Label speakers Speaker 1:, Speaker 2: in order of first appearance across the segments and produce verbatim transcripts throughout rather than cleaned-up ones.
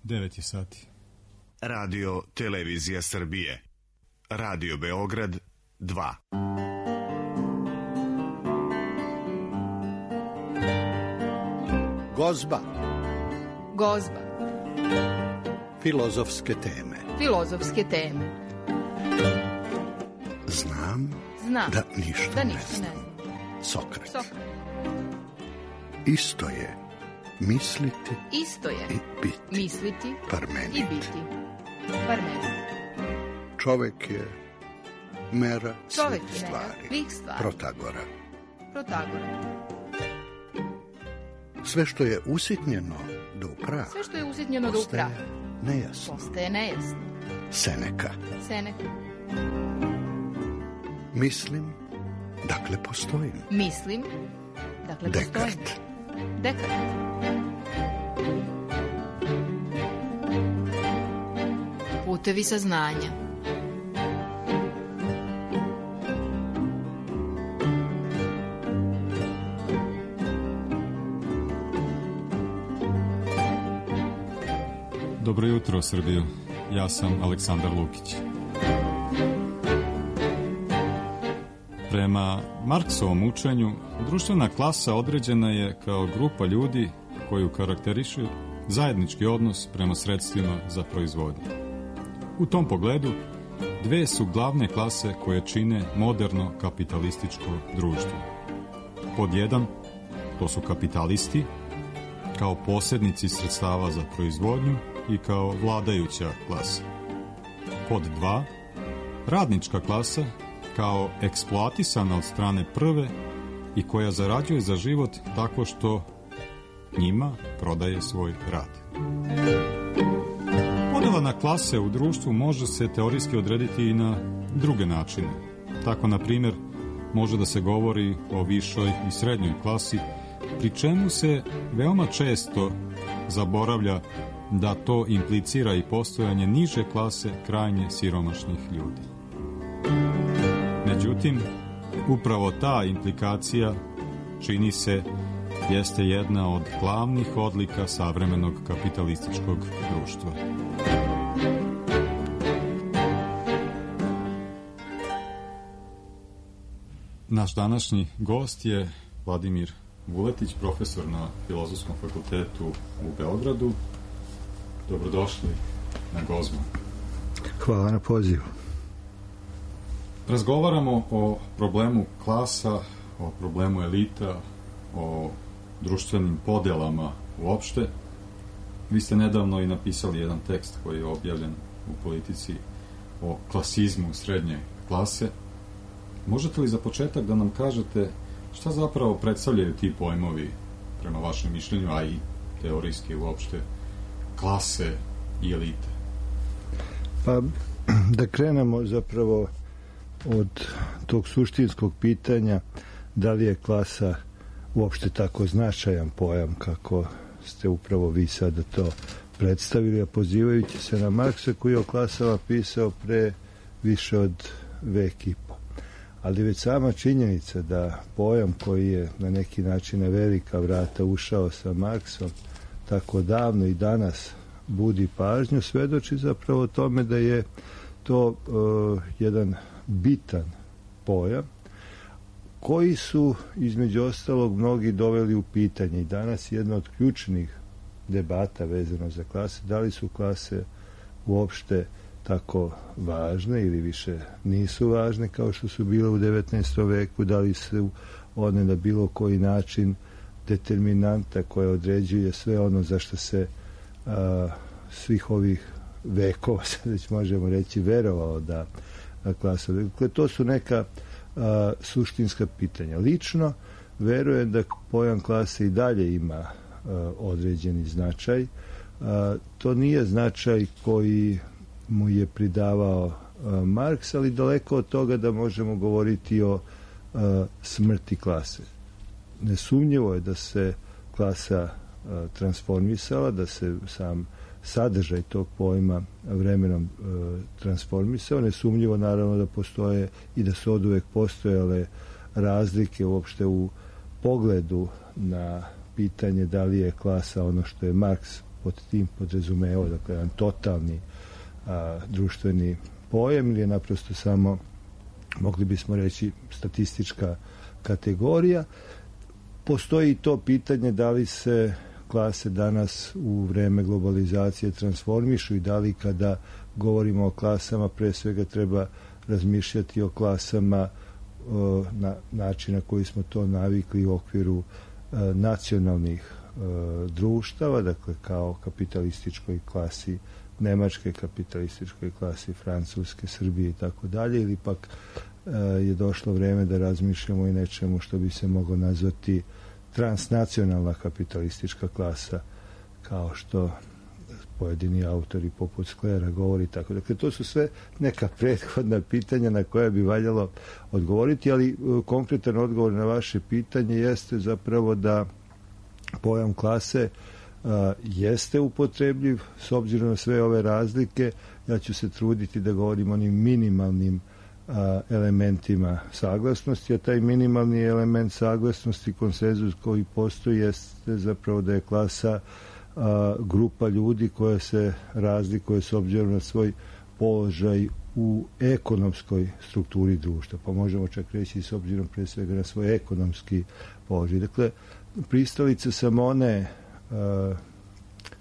Speaker 1: devet je sati.
Speaker 2: Radio Televizija Srbije. Radio Beograd dva.
Speaker 3: Gozba.
Speaker 4: Gozba.
Speaker 3: Filozofske teme.
Speaker 4: Filozofske teme.
Speaker 3: Znam,
Speaker 4: Znam
Speaker 3: da ništa,
Speaker 4: da
Speaker 3: ne,
Speaker 4: ništa
Speaker 3: znam.
Speaker 4: ne znam.
Speaker 3: Sokrat.
Speaker 4: Sokrat.
Speaker 3: Isto je misliti
Speaker 4: Isto je
Speaker 3: i biti.
Speaker 4: misliti
Speaker 3: Parmenid.
Speaker 4: i biti. Parmenid.
Speaker 3: Čovek je mera
Speaker 4: Čovek
Speaker 3: svih
Speaker 4: je
Speaker 3: stvari.
Speaker 4: svih stvari.
Speaker 3: Protagora.
Speaker 4: Protagora.
Speaker 3: Sve što je usitnjeno do upraha
Speaker 4: Sve što je usitnjeno do upraha
Speaker 3: nejasno.
Speaker 4: postaje nejasno.
Speaker 3: Seneka.
Speaker 4: Seneka.
Speaker 3: Mislim, dakle postojim.
Speaker 4: Mislim, dakle postojim.
Speaker 3: Dekart.
Speaker 4: Dekart. Putevi saznanja.
Speaker 1: Dobro jutro, Srbijo. Ja sam Aleksandar Lukić. Prema Marksovom učenju, društvena klasa određena je kao grupa ljudi koju karakteriše zajednički odnos prema sredstvima za proizvodnju. U tom pogledu, dve su glavne klase koje čine moderno kapitalističko društvo. Pod jedan, to su kapitalisti, kao posrednici sredstava za proizvodnju i kao vladajuća klasa. Pod dva, radnička klasa, kao eksploatisana od strane prve i koja zarađuje za život tako što njima prodaje svoj rad. Podela na klase u društvu može se teorijski odrediti i na druge načine. Tako, na primjer, može da se govori o višoj i srednjoj klasi, pri čemu se veoma često zaboravlja da to implicira i postojanje niže klase krajnje siromašnih ljudi. Međutim, upravo ta implikacija, čini se, jeste jedna od glavnih odlika savremenog kapitalističkog društva. Naš današnji gost je Vladimir Vuletić, profesor na Filozofskom fakultetu u Beogradu. Dobrodošli na Gozbu.
Speaker 3: Hvala na pozivu.
Speaker 1: Razgovaramo o problemu klasa, o problemu elita, o društvenim podelama uopšte. Vi ste nedavno i napisali jedan tekst koji je objavljen u Politici o klasizmu srednje klase. Možete li za početak da nam kažete šta zapravo predstavljaju ti pojmovi, prema vašem mišljenju, a i teorijski uopšte, klase i elite?
Speaker 5: Pa, da krenemo zapravo od tog suštinskog pitanja da li je klasa uopšte tako značajan pojam kako ste upravo vi sada to predstavili, a pozivajući se na Marksa koji je o klasama pisao pre više od vek i po. Ali već sama činjenica da pojam koji je na neki način na velika vrata ušao sa Marksom tako davno i danas budi pažnju, svedoči zapravo o tome da je to uh, jedan bitan pojam koji su između ostalog mnogi doveli u pitanje i danas jedna od ključnih debata vezano za klase, da li su klase uopšte tako važne ili više nisu važne kao što su bile u devetnaestom veku, da li su one na bilo koji način determinanta koja određuje sve ono za što se a, svih ovih vekova, sad već možemo reći, verovao da klasa. Dakle, to su neka a, suštinska pitanja. Lično verujem da pojam klase i dalje ima a, određeni značaj. A, to nije značaj koji mu je pridavao a, Marks, ali daleko od toga da možemo govoriti o a, smrti klase. Nesumnjivo je da se klasa a, transformisala, da se sam sadržaj tog pojma vremenom e, transformisao. Nesumnjivo naravno da postoje i da su oduvek postojale razlike uopšte u pogledu na pitanje da li je klasa ono što je Marks pod tim podrazumevao, dakle, jedan totalni a, društveni pojam ili je naprosto samo, mogli bismo reći, statistička kategorija. Postoji to pitanje da li se klase danas u vreme globalizacije transformišu i da li kada govorimo o klasama pre svega treba razmišljati o klasama o, na način na koji smo to navikli u okviru e, nacionalnih e, društava, dakle kao kapitalističkoj klasi Nemačke, kapitalističkoj klasi Francuske, Srbije i tako dalje, ili pak e, je došlo vreme da razmišljamo i nečemu što bi se moglo nazvati transnacionalna kapitalistička klasa, kao što pojedini autori poput Sklera govori tako. Dakle, to su sve neka prethodna pitanja na koja bi valjalo odgovoriti, ali konkretan odgovor na vaše pitanje jeste zapravo da pojam klase a, jeste upotrebljiv s obzirom na sve ove razlike. Ja ću se truditi da govorim onim minimalnim a, elementima saglasnosti, a taj minimalni element saglasnosti, konsenzus koji postoji, jeste zapravo da je klasa a, grupa ljudi koja se razlikuje s obzirom na svoj položaj u ekonomskoj strukturi društva, pa možemo čak reći s obzirom pre svega na svoj ekonomski položaj. Dakle, pristalice sam one a,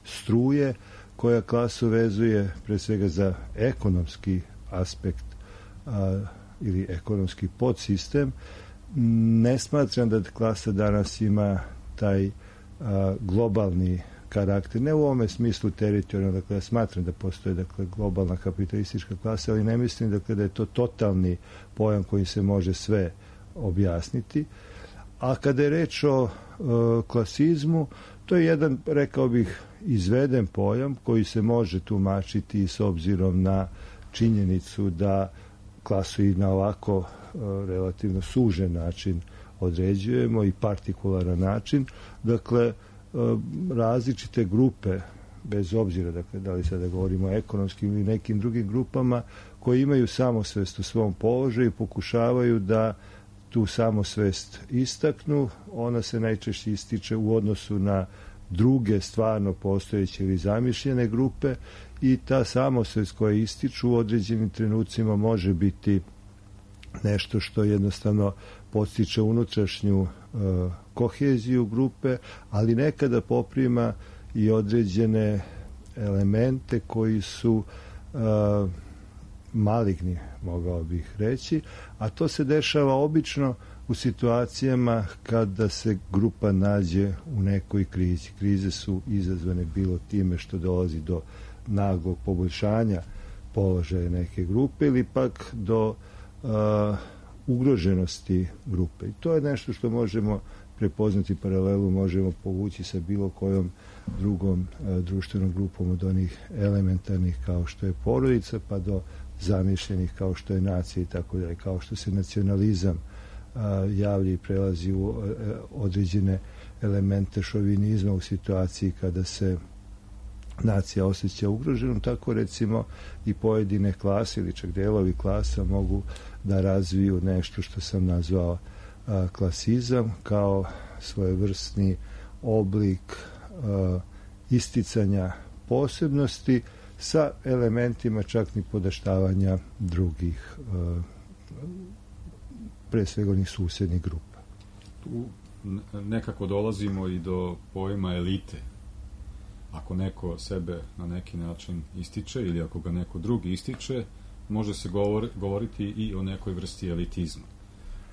Speaker 5: struje koja klasu vezuje pre svega za ekonomski aspekt a, ili ekonomski podsistem. Ne smatram da klasa danas ima taj a, globalni karakter, ne u ovome smislu teritorijalno, dakle ja smatram da postoje dakle globalna kapitalistička klasa, ali ne mislim dakle da je to totalni pojam koji se može sve objasniti. A kada je reč o e, klasizmu, to je jedan, rekao bih, izveden pojam koji se može tumačiti s obzirom na činjenicu da klasu i na ovako e, relativno sužen način određujemo i partikularan način. Dakle, različite grupe, bez obzira dakle, da li sada govorimo o ekonomskim ili nekim drugim grupama, koji imaju samosvest u svom položaju, pokušavaju da tu samosvest istaknu. Ona se najčešće ističe u odnosu na druge stvarno postojeće ili zamišljene grupe i ta samosvest koja ističu u određenim trenucima može biti nešto što jednostavno podstiče unutrašnju uh, koheziju grupe, ali nekada poprima i određene elemente koji su uh, maligni, mogao bih reći, a to se dešava obično u situacijama kada se grupa nađe u nekoj krizi. Krize su izazvane bilo time što dolazi do naglog poboljšanja položaja neke grupe ili pak do uh, ugroženosti grupe. I to je nešto što možemo prepoznati paralelu, možemo povući sa bilo kojom drugom uh, društvenom grupom od onih elementarnih kao što je porodica pa do zamišljenih kao što je nacija i tako dalje, kao što se nacionalizam uh, javlja i prelazi u uh, određene elemente šovinizma u situaciji kada se nacija osjeća ugroženom, tako recimo i pojedine klase ili čak delovi klasa mogu da razviju nešto što sam nazvao a, klasizam kao svojevrsni oblik a, isticanja posebnosti sa elementima čak ni podaštavanja drugih a, pre svega onih susednih grupa.
Speaker 1: Tu nekako dolazimo i do pojma elite. Ako neko sebe na neki način ističe ili ako ga neko drugi ističe, može se govor, govoriti i o nekoj vrsti elitizma.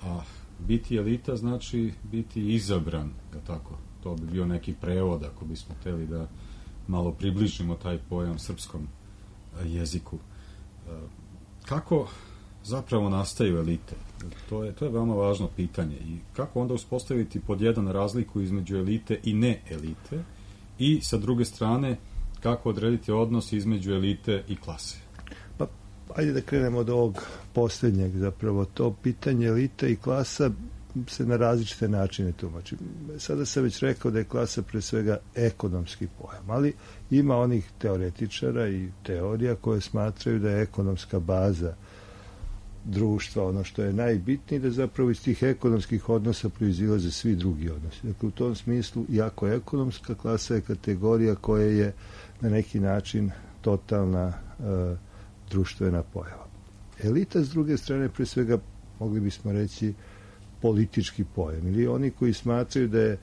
Speaker 1: A biti elita znači biti izabran, je tako? To bi bio neki prevod ako bismo hteli da malo približimo taj pojam srpskom jeziku. Kako zapravo nastaju elite? To je, to je veoma važno pitanje. I kako onda uspostaviti pod jedan razliku između elite i ne elite? I sa druge strane, kako odrediti odnos između elite i klase?
Speaker 5: Pa, ajde da krenemo od ovog posljednjeg, zapravo to pitanje elite i klasa se na različite načine tumači. Sada sam već rekao da je klasa pre svega ekonomski pojam, ali ima onih teoretičara i teorija koje smatraju da je ekonomska baza društva, ono što je najbitnije, da zapravo iz tih ekonomskih odnosa proizilaze svi drugi odnosi. Dakle, u tom smislu, iako ekonomska klasa je kategorija koja je na neki način totalna uh, društvena pojava. Elita, s druge strane, pre svega, mogli bismo reći, politički pojam. Ili oni koji smatraju da je,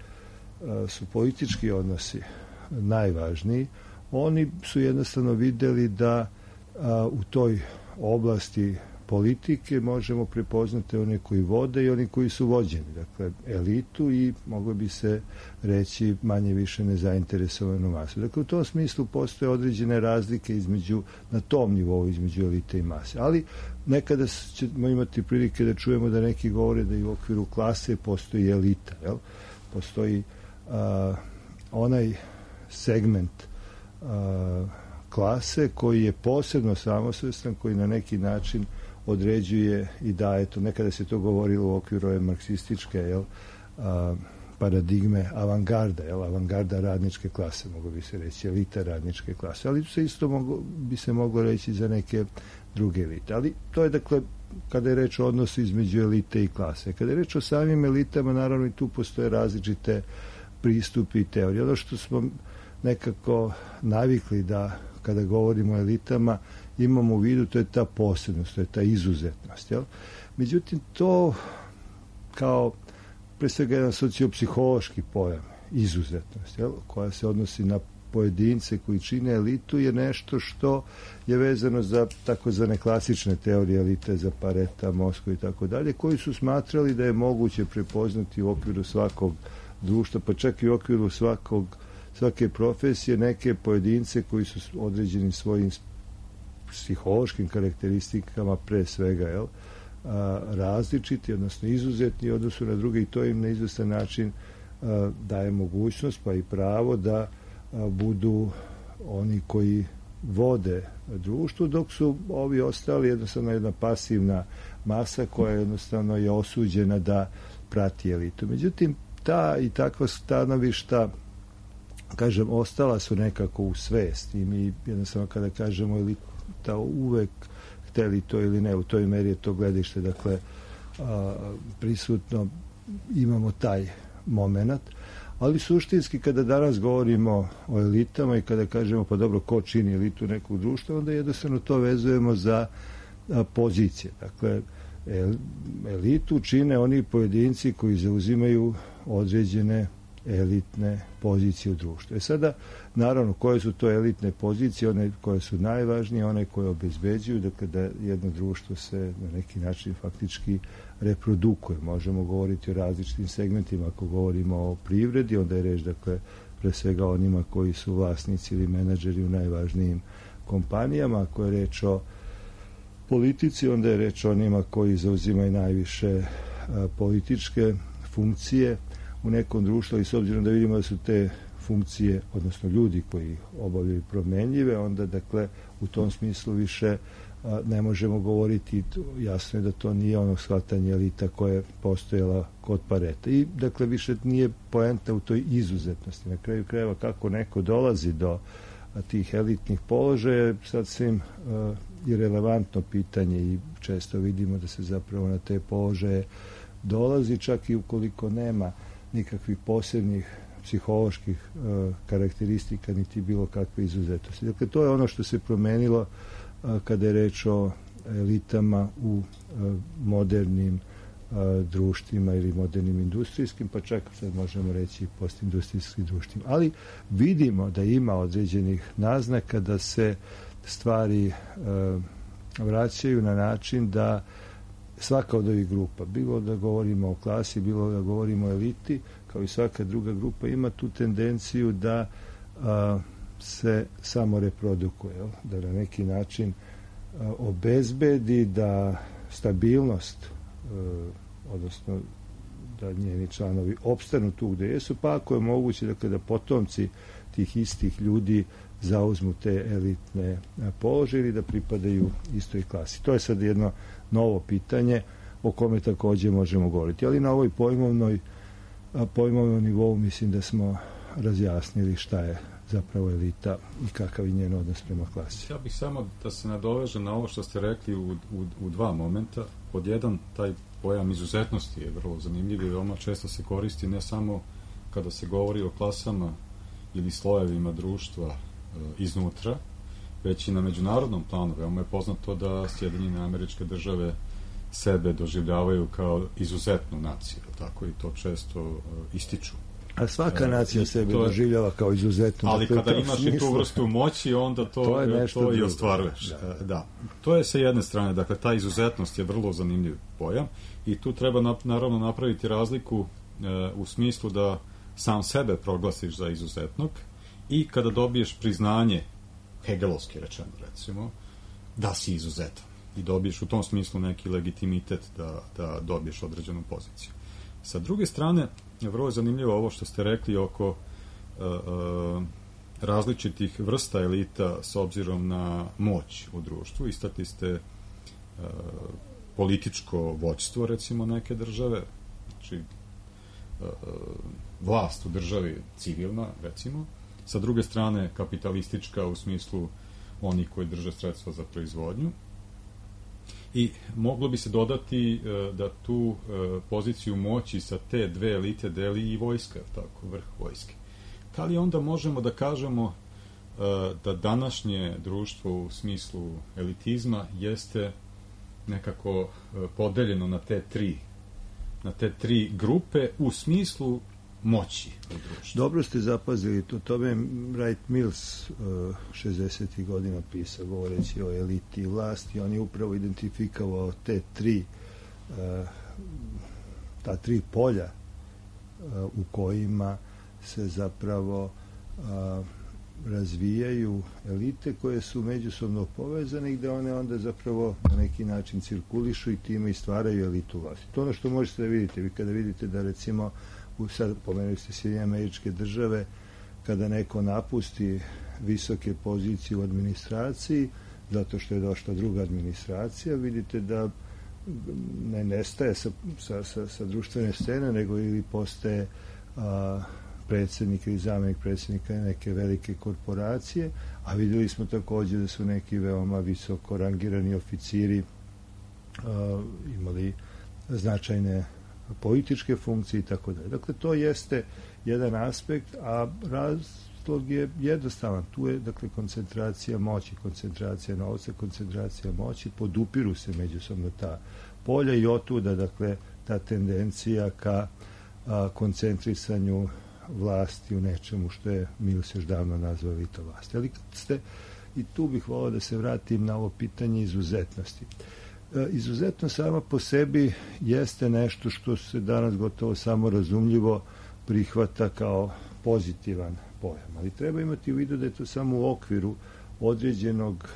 Speaker 5: uh, su politički odnosi najvažniji, oni su jednostavno videli da uh, u toj oblasti politike možemo prepoznati one koji vode i oni koji su vođeni, dakle elitu i moglo bi se reći manje više nezainteresovanu masu. Dakle, u tom smislu postoje određene razlike između, na tom nivou između elite i mase. Ali nekada ćemo imati prilike da čujemo da neki govore da i u okviru klase postoji elita, jel? Postoji a, onaj segment a, klase koji je posebno samosvestan, koji na neki način određuje i daje to. Nekada se to govorilo u okviru ove marksističke jel, a, paradigme avangarda, jel, avangarda radničke klase, mogu bi se reći, elita radničke klase. Ali se isto mogo, bi se moglo reći za neke druge elite. Ali to je, dakle, kada je reč o odnosu između elite i klase. Kada je reč o samim elitama, naravno i tu postoje različite pristupi i teorije. Ono što smo nekako navikli da kada govorimo o elitama imamo u vidu, to je ta posebnost, to je ta izuzetnost. Jel? Međutim, to kao pre svega jedan sociopsihološki pojam, izuzetnost, jel? Koja se odnosi na pojedince koji čine elitu, je nešto što je vezano za takozvane klasične teorije elite, za Pareta, Moskvu i tako dalje, koji su smatrali da je moguće prepoznati u okviru svakog društva, pa čak i u okviru svakog svake profesije neke pojedince koji su određenim svojim psihološkim karakteristikama pre svega jel, a, različiti, odnosno izuzetni u odnosu na druge i to im na izvestan način a, daje mogućnost pa i pravo da a, budu oni koji vode društvo, dok su ovi ostali jednostavno jedna pasivna masa koja jednostavno je osuđena da prati elitu. Međutim, ta i takva stanovišta, kažem, ostala su nekako u svesti i mi jednostavno kada kažemo elita uvek hteli to ili ne, u toj meri je to gledište, dakle, a, prisutno, imamo taj moment, ali suštinski kada danas govorimo o elitama i kada kažemo pa dobro ko čini elitu nekog društva, onda jednostavno to vezujemo za a, pozicije. Dakle, el, elitu čine oni pojedinci koji zauzimaju određene elitne pozicije u društvu. E sada, naravno, koje su to elitne pozicije, one koje su najvažnije, one koje obezbeđuju, dakle, da jedno društvo se na neki način faktički reprodukuje. Možemo govoriti o različitim segmentima. Ako govorimo o privredi, onda je reč, dakle, pre svega onima koji su vlasnici ili menadžeri u najvažnijim kompanijama. Ako je reč o politici, onda je reč o onima koji zauzimaju najviše a, političke funkcije u nekom društvu i s obzirom da vidimo da su te funkcije, odnosno ljudi koji obavljaju promenljive, onda dakle u tom smislu više a, ne možemo govoriti, jasno je da to nije ono shvatanje elita koje je postojala kod Pareta. I dakle više nije poenta u toj izuzetnosti. Na kraju krajeva kako neko dolazi do a, tih elitnih položaja, sad svim a, irelevantno pitanje i često vidimo da se zapravo na te položaje dolazi čak i ukoliko nema nikakvih posebnih psiholoških uh, karakteristika niti bilo kakve izuzetosti. Dakle, to je ono što se promenilo uh, kada je reč o elitama u uh, modernim uh, društvima ili modernim industrijskim, pa čak sad možemo reći postindustrijskim društvima. Ali vidimo da ima određenih naznaka da se stvari uh, vraćaju na način da svaka od ovih grupa, bilo da govorimo o klasi, bilo da govorimo o eliti, kao i svaka druga grupa, ima tu tendenciju da a, se samo reprodukuje, jel? Da na neki način a, obezbedi da stabilnost, a, odnosno da njeni članovi opstanu tu gde jesu, pa ako je moguće dakle, da potomci tih istih ljudi zauzmu te elitne položaje ili da pripadaju istoj klasi. To je sad jedno novo pitanje o kome takođe možemo govoriti. Ali na ovoj pojmovnoj, pojmovnom nivou mislim da smo razjasnili šta je zapravo elita i kakav je njen odnos prema klasi.
Speaker 1: Ja bih samo da se nadovežem na ovo što ste rekli u, u, u dva momenta. Pod jedan, taj pojam izuzetnosti je vrlo zanimljiv i veoma često se koristi ne samo kada se govori o klasama ili slojevima društva e, iznutra, već i na međunarodnom planu. Veoma je poznato da Sjedinjene Američke Države sebe doživljavaju kao izuzetnu naciju, tako i to često e, ističu.
Speaker 5: A svaka nacija
Speaker 1: e,
Speaker 5: sebe
Speaker 1: je,
Speaker 5: doživljava kao izuzetnu.
Speaker 1: Ali
Speaker 5: dakle,
Speaker 1: kada imaš i tu vrstu moći, onda to,
Speaker 5: to, je
Speaker 1: to i ostvaruješ. Da. da. To je sa jedne strane, dakle, ta izuzetnost je vrlo zanimljiv pojam i tu treba na, naravno napraviti razliku e, u smislu da sam sebe proglasiš za izuzetnog i kada dobiješ priznanje, hegelovski rečeno recimo, da si izuzetan i dobiješ u tom smislu neki legitimitet da, da dobiješ određenu poziciju. Sa druge strane, vrlo je zanimljivo ovo što ste rekli oko uh, uh, različitih vrsta elita s obzirom na moć u društvu. Istakli ste uh, političko vođstvo, recimo, neke države, znači uh, vlast u državi civilna, recimo. Sa druge strane, kapitalistička u smislu oni koji drže sredstva za proizvodnju. I moglo bi se dodati uh, da tu uh, poziciju moći sa te dve elite deli i vojska, tako, vrh vojske. Da li onda možemo da kažemo uh, da današnje društvo u smislu elitizma jeste nekako uh, podeljeno na te tri na te tri grupe u smislu moći u društvu?
Speaker 5: Dobro ste zapazili, to tome je Wright Mills uh, šezdesetih godina pisao, govoreći o eliti i vlasti. On je upravo identifikovao te tri uh, ta tri polja uh, u kojima se zapravo uh, razvijaju elite koje su međusobno povezane i gde one onda zapravo na neki način cirkulišu i time i stvaraju elitu vlasti. To ono što možete da vidite. Vi kada vidite da recimo sad pomenuli ste Sjedinjene Američke Države, kada neko napusti visoke pozicije u administraciji zato što je došla druga administracija, vidite da ne nestaje sa, sa, sa, sa društvene scene, nego ili postaje a, predsjednik ili zamjenik predsjednika neke velike korporacije, a vidjeli smo također da su neki veoma visoko rangirani oficiri a, imali značajne političke funkcije i tako dalje. Dakle, to jeste jedan aspekt, a razlog je jednostavan. Tu je, dakle, koncentracija moći, koncentracija novca, koncentracija moći, podupiru se međusobno ta polja i otuda, dakle, ta tendencija ka a, koncentrisanju vlasti u nečemu što je Mills još davno nazvao elita vlasti. Ali kad ste, i tu bih volao da se vratim na ovo pitanje izuzetnosti. Izuzetno sama po sebi jeste nešto što se danas gotovo samo razumljivo prihvata kao pozitivan pojam, ali treba imati u vidu da je to samo u okviru određenog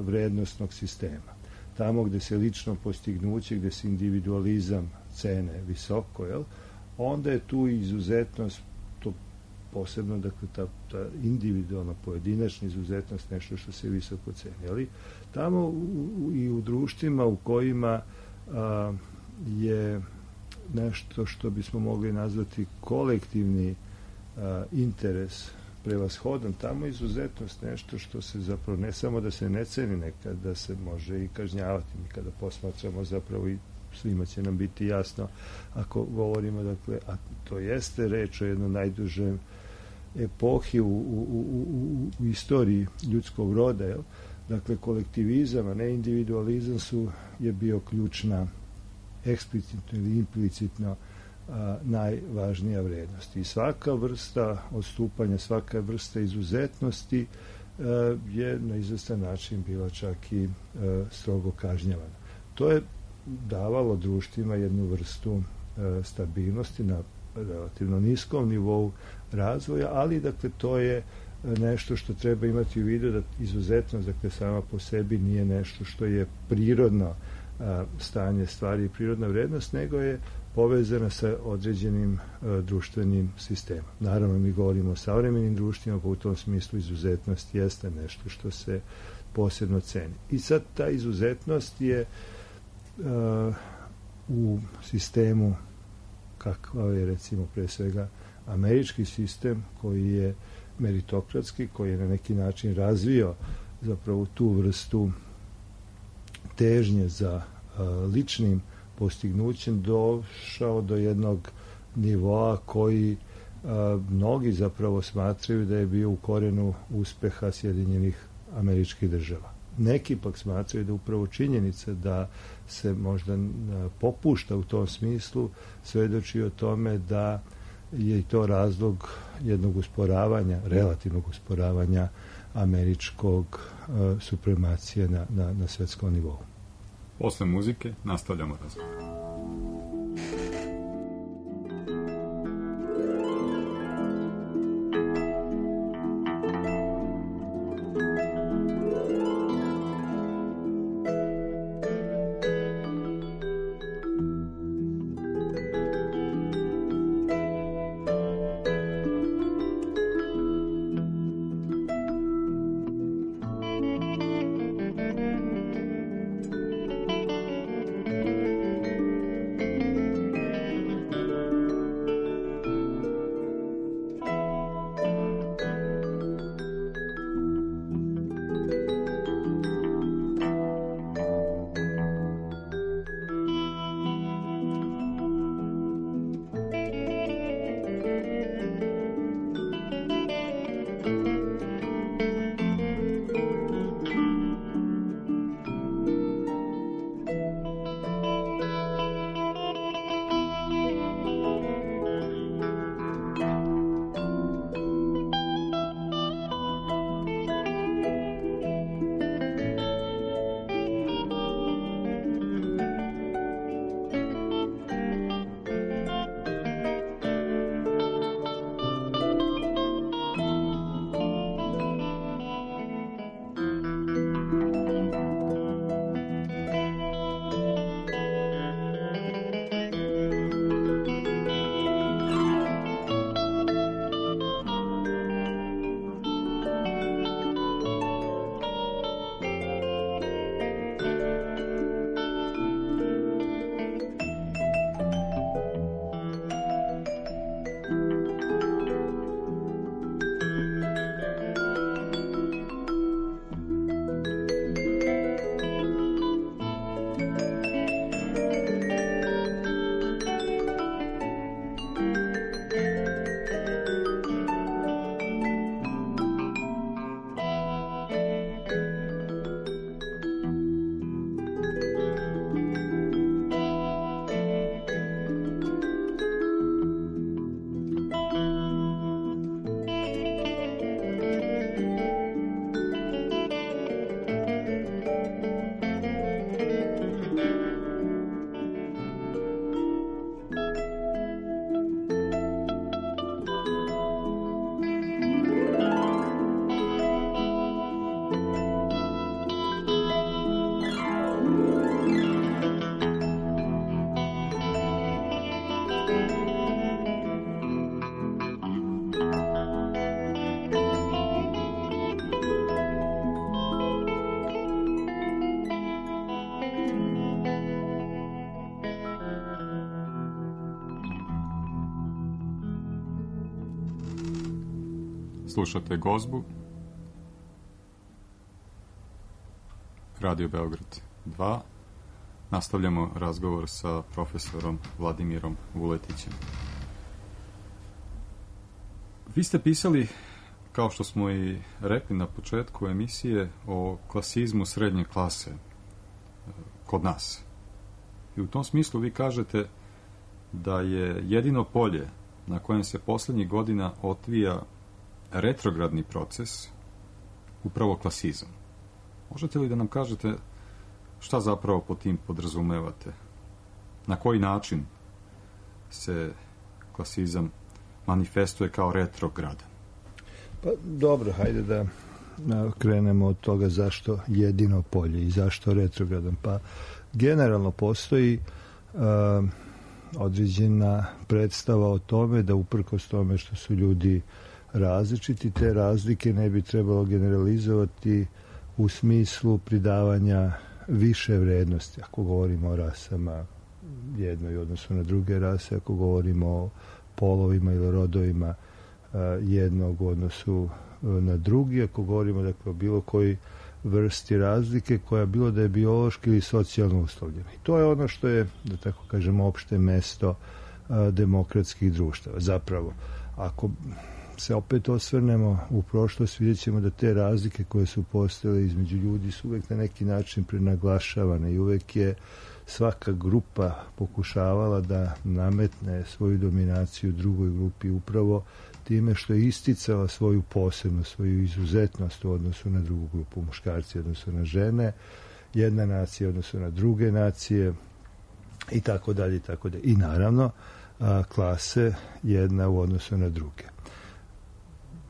Speaker 5: vrednostnog sistema. Tamo gde se lično postignuće, gde se individualizam cene visoko, jel, onda je tu izuzetnost, to posebno, dakle, ta, ta individualna, pojedinačna izuzetnost nešto što se visoko ceni, ali tamo u, u, i u društvima u kojima a, je nešto što bismo mogli nazvati kolektivni a, interes prevashodan, tamo izuzetnost nešto što se zapravo ne samo da se ne ceni, nekad da se može i kažnjavati. Mi kada posmatramo zapravo i svima će nam biti jasno ako govorimo, dakle, a to jeste reč o jednoj najdužoj epohi u, u, u, u, u istoriji ljudskog roda, jel? Dakle, kolektivizam, a ne individualizam su, je bio ključna eksplicitno ili implicitno a, najvažnija vrednost. I svaka vrsta odstupanja, svaka vrsta izuzetnosti a, je na izvestan način bila čak i a, strogo kažnjavana. To je davalo društvima jednu vrstu a, stabilnosti na relativno niskom nivou razvoja, ali, dakle, to je nešto što treba imati u vidu, da izuzetnost, dakle, sama po sebi nije nešto što je prirodno a, stanje stvari i prirodna vrednost, nego je povezana sa određenim a, društvenim sistemom. Naravno, mi govorimo o savremenim društvima, pa u tom smislu izuzetnost jeste nešto što se posebno ceni. I sad ta izuzetnost je a, u sistemu kakav je, recimo, pre svega američki sistem, koji je meritokratski, koji je na neki način razvio zapravo tu vrstu težnje za a, ličnim postignućem, došao do jednog nivoa koji a, mnogi zapravo smatraju da je bio u korenu uspeha Sjedinjenih Američkih Država. Neki pak smatraju da upravo činjenica da se možda popušta u tom smislu svedoči o tome da je i to razlog jednog usporavanja, relativnog usporavanja američkog uh, supremacije na, na, na svetskom nivou.
Speaker 1: Posle muzike nastavljamo razgovor. Slušate Gozbu, Radio Beograd dva. Nastavljamo razgovor sa profesorom Vladimirom Vuletićem. Vi ste pisali, kao što smo i rekli na početku emisije, o klasizmu srednje klase kod nas. I u tom smislu vi kažete da je jedino polje na kojem se poslednjih godina otvija retrogradni proces upravo klasizam. Možete li da nam kažete šta zapravo po tim podrazumevate? Na koji način se klasizam manifestuje kao retrogradan?
Speaker 5: Pa dobro, hajde da krenemo od toga zašto jedino polje i zašto retrogradan. Pa generalno postoji uh, određena predstava o tome da uprkos tome što su ljudi različiti, te razlike ne bi trebalo generalizovati u smislu pridavanja više vrednosti. Ako govorimo o rasama jednoj odnosno na druge rase, ako govorimo o polovima ili rodovima jednog u odnosu na drugi, ako govorimo dakle o bilo koji vrsti razlike koja bilo da je biološki ili socijalno uslovljena. I to je ono što je, da tako kažemo, opšte mesto a, demokratskih društava. Zapravo, ako se opet osvrnemo u prošlost, vidjet ćemo da te razlike koje su postojale između ljudi su uvek na neki način prenaglašavane i uvek je svaka grupa pokušavala da nametne svoju dominaciju drugoj grupi upravo time što je isticala svoju posebnost, svoju izuzetnost u odnosu na drugu grupu, muškarci u odnosu na žene, jedna nacija u odnosu na druge nacije i tako dalje i tako dalje. I naravno a, klase jedna u odnosu na druge.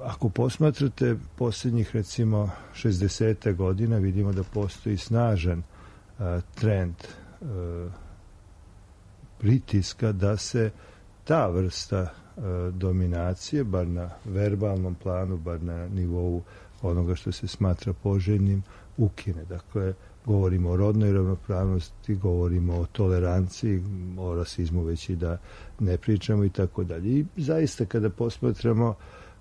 Speaker 5: Ako posmatrate posljednjih recimo šezdeset godina, vidimo da postoji snažan a, trend a, pritiska da se ta vrsta dominacije, bar na verbalnom planu, bar na nivou onoga što se smatra poželjnim, ukine. Dakle, govorimo o rodnoj ravnopravnosti, govorimo o toleranciji, o rasizmu već i da ne pričamo i tako dalje. I zaista kada posmatramo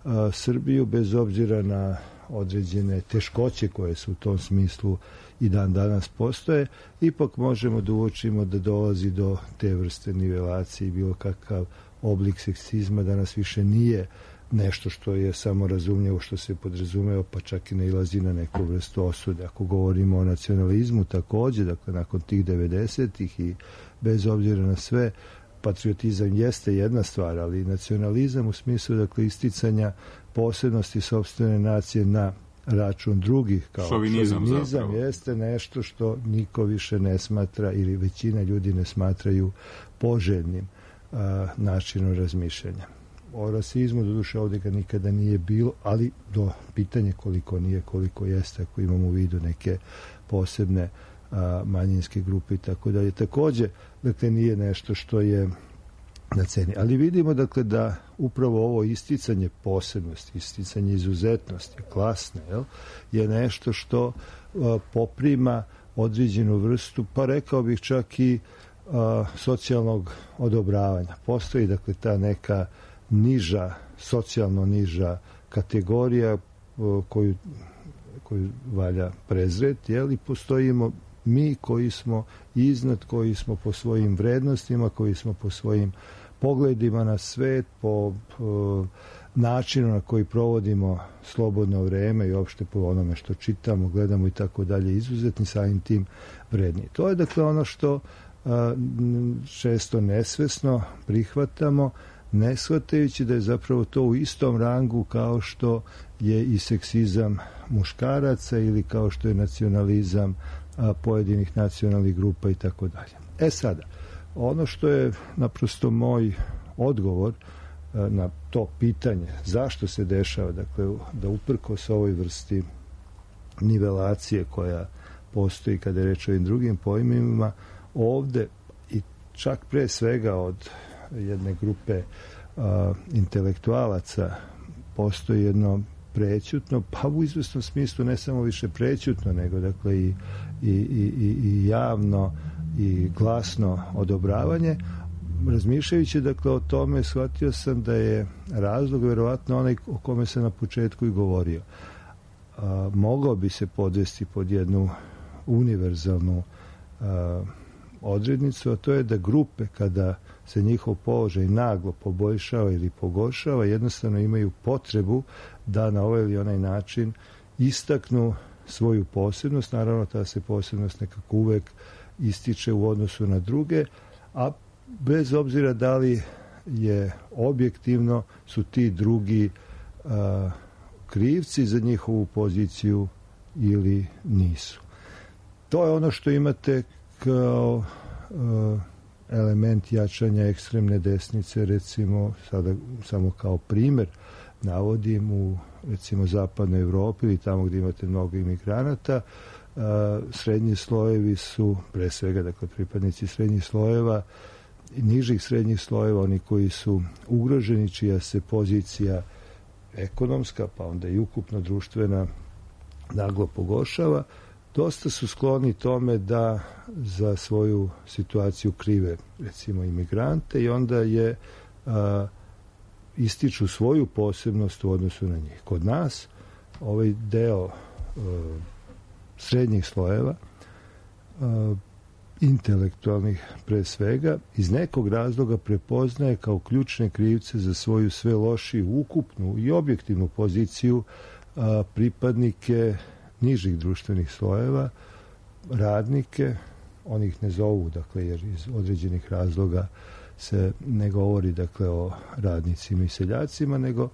Speaker 5: a, Srbiju, bez obzira na određene teškoće koje su u tom smislu i dan danas postoje, ipak možemo da uočimo da dolazi do te vrste nivelacije i bilo kakav oblik seksizma danas više nije nešto što je samo razumljivo, što se podrazumeva, pa čak i nailazi na neku vrstu osude. Ako govorimo o nacionalizmu takođe, dakle nakon tih devedesetih i bez obzira na sve, patriotizam jeste jedna stvar, ali nacionalizam u smislu dakle isticanja posebnosti sopstvene nacije na račun drugih kao
Speaker 1: šovinizam,
Speaker 5: šovinizam jeste nešto što niko više ne smatra ili većina ljudi ne smatraju poželjnim a, načinom razmišljanja. O rasizmu doduše ovdje ga nikada nije bilo, ali do pitanje koliko nije, koliko jeste, ako imamo u vidu neke posebne a, manjinske grupe i tako dalje. Takođe, dakle, nije nešto što je na ceni. Ali vidimo, dakle, da upravo ovo isticanje posebnosti, isticanje izuzetnosti, klasne, jel, je nešto što a, poprima određenu vrstu, pa rekao bih čak i a, socijalnog odobravanja. Postoji, dakle, ta neka niža, socijalno niža kategorija a, koju, koju valja prezreti, jel, i postojimo mi koji smo iznad, koji smo po svojim vrednostima, koji smo po svojim pogledima na svet, po, po načinu na koji provodimo slobodno vreme i uopšte po onome što čitamo, gledamo i tako dalje, izuzetni, samim tim vredni. To je dakle ono što a, često nesvesno prihvatamo, ne shvatajući da je zapravo to u istom rangu kao što je i seksizam muškaraca ili kao što je nacionalizam a, pojedinih nacionalnih grupa i tako dalje. E sada, ono što je naprosto moj odgovor a, na to pitanje zašto se dešava, dakle, da uprkos ovoj vrsti nivelacije koja postoji kada je reč o ovim drugim pojmima, ovde i čak pre svega od jedne grupe a, intelektualaca postoji jedno prećutno, pa u izvesnom smislu ne samo više prećutno, nego dakle i, i, i, i javno i glasno odobravanje. Razmišljajući dakle o tome, shvatio sam da je razlog verovatno onaj o kome sam na početku i govorio. A, mogao bi se podvesti pod jednu univerzalnu a, odrednicu, a to je da grupe kada se njihov položaj naglo poboljšava ili pogoršava, jednostavno imaju potrebu da na ovaj ili onaj način istaknu svoju posebnost. Naravno, ta se posebnost nekako uvek ističe u odnosu na druge, a bez obzira da li je objektivno su ti drugi a, krivci za njihovu poziciju ili nisu. To je ono što imate kao a, element jačanja ekstremne desnice, recimo, sada samo kao primer navodim, u recimo zapadnoj Evropi ili tamo gdje imate mnogo imigranata, srednji slojevi su, pre svega, dakle, pripadnici srednjih slojeva i nižih srednjih slojeva, oni koji su ugroženi, čija se pozicija ekonomska, pa onda i ukupno društvena naglo pogoršava, dosta su skloni tome da za svoju situaciju krive, recimo, imigrante, i onda je a, ističu svoju posebnost u odnosu na njih. Kod nas ovaj deo uh, srednjih slojeva, uh, intelektualnih pre svega, iz nekog razloga prepoznaje kao ključne krivce za svoju sve lošiju ukupnu i objektivnu poziciju a, pripadnike nižih društvenih slojeva, radnike, oni ih ne zovu, dakle, jer iz određenih razloga se ne govori, dakle, o radnicima i seljacima, nego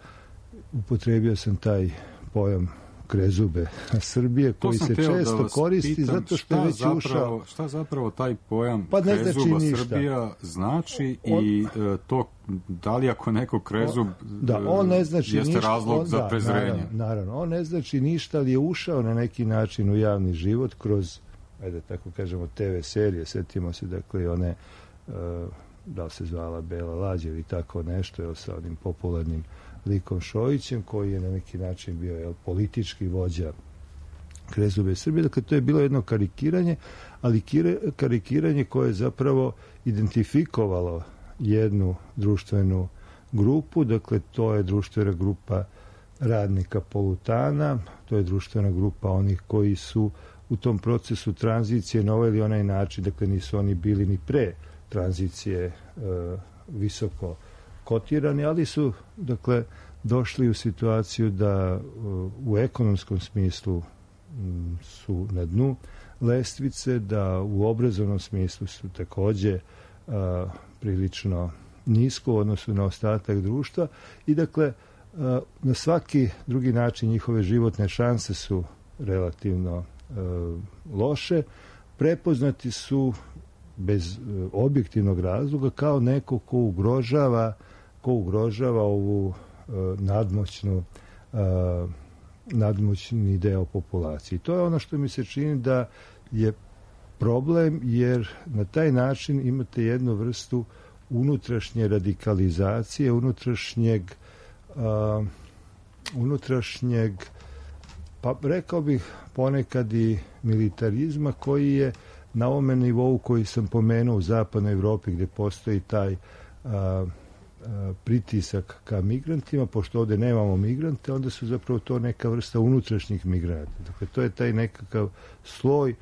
Speaker 5: upotrebio sam taj pojam krezube Srbije, koji se često da koristi pitam, zato što je već
Speaker 1: zapravo,
Speaker 5: ušao.
Speaker 1: Šta zapravo taj pojam
Speaker 5: pa
Speaker 1: krezuba
Speaker 5: znači
Speaker 1: Srbija znači on, i e, to, da li ako neko krezub
Speaker 5: da, on ne znači
Speaker 1: jeste
Speaker 5: ništa,
Speaker 1: razlog
Speaker 5: on,
Speaker 1: za
Speaker 5: da,
Speaker 1: prezrenje?
Speaker 5: Naravno, naravno, on ne znači ništa, ali je ušao na neki način u javni život kroz, ajde tako kažemo, te ve serije, setimo se, dakle, one, uh, da li se zvala Bela lađa ili tako nešto, je sa onim popularnim likom Šojićem, koji je na neki način bio, jel, politički vođa krezube Srbije. Dakle, to je bilo jedno karikiranje, ali kire, karikiranje koje je zapravo identifikovalo jednu društvenu grupu. Dakle, to je društvena grupa radnika Polutana, to je društvena grupa onih koji su u tom procesu tranzicije na ovaj ili onaj način, dakle, nisu oni bili ni pre tranzicije e, visoko kotirani, ali su, dakle, došli u situaciju da u ekonomskom smislu su na dnu lestvice, da u obrazovnom smislu su takođe a, prilično nisko u odnosu na ostatak društva i, dakle, a, na svaki drugi način njihove životne šanse su relativno a, loše. Prepoznati su bez a, objektivnog razloga kao neko ko ugrožava ko ugrožava ovu uh, nadmoćnu uh, nadmoćni deo populacije. To je ono što mi se čini da je problem, jer na taj način imate jednu vrstu unutrašnje radikalizacije, unutrašnjeg uh, unutrašnjeg, pa rekao bih ponekad i militarizma, koji je na ovome nivou koji sam pomenuo u zapadnoj Evropi, gde postoji taj uh, pritisak ka migrantima, pošto ovde nemamo migrante, onda su zapravo to neka vrsta unutrašnjih migranata. Dakle, to je taj nekakav sloj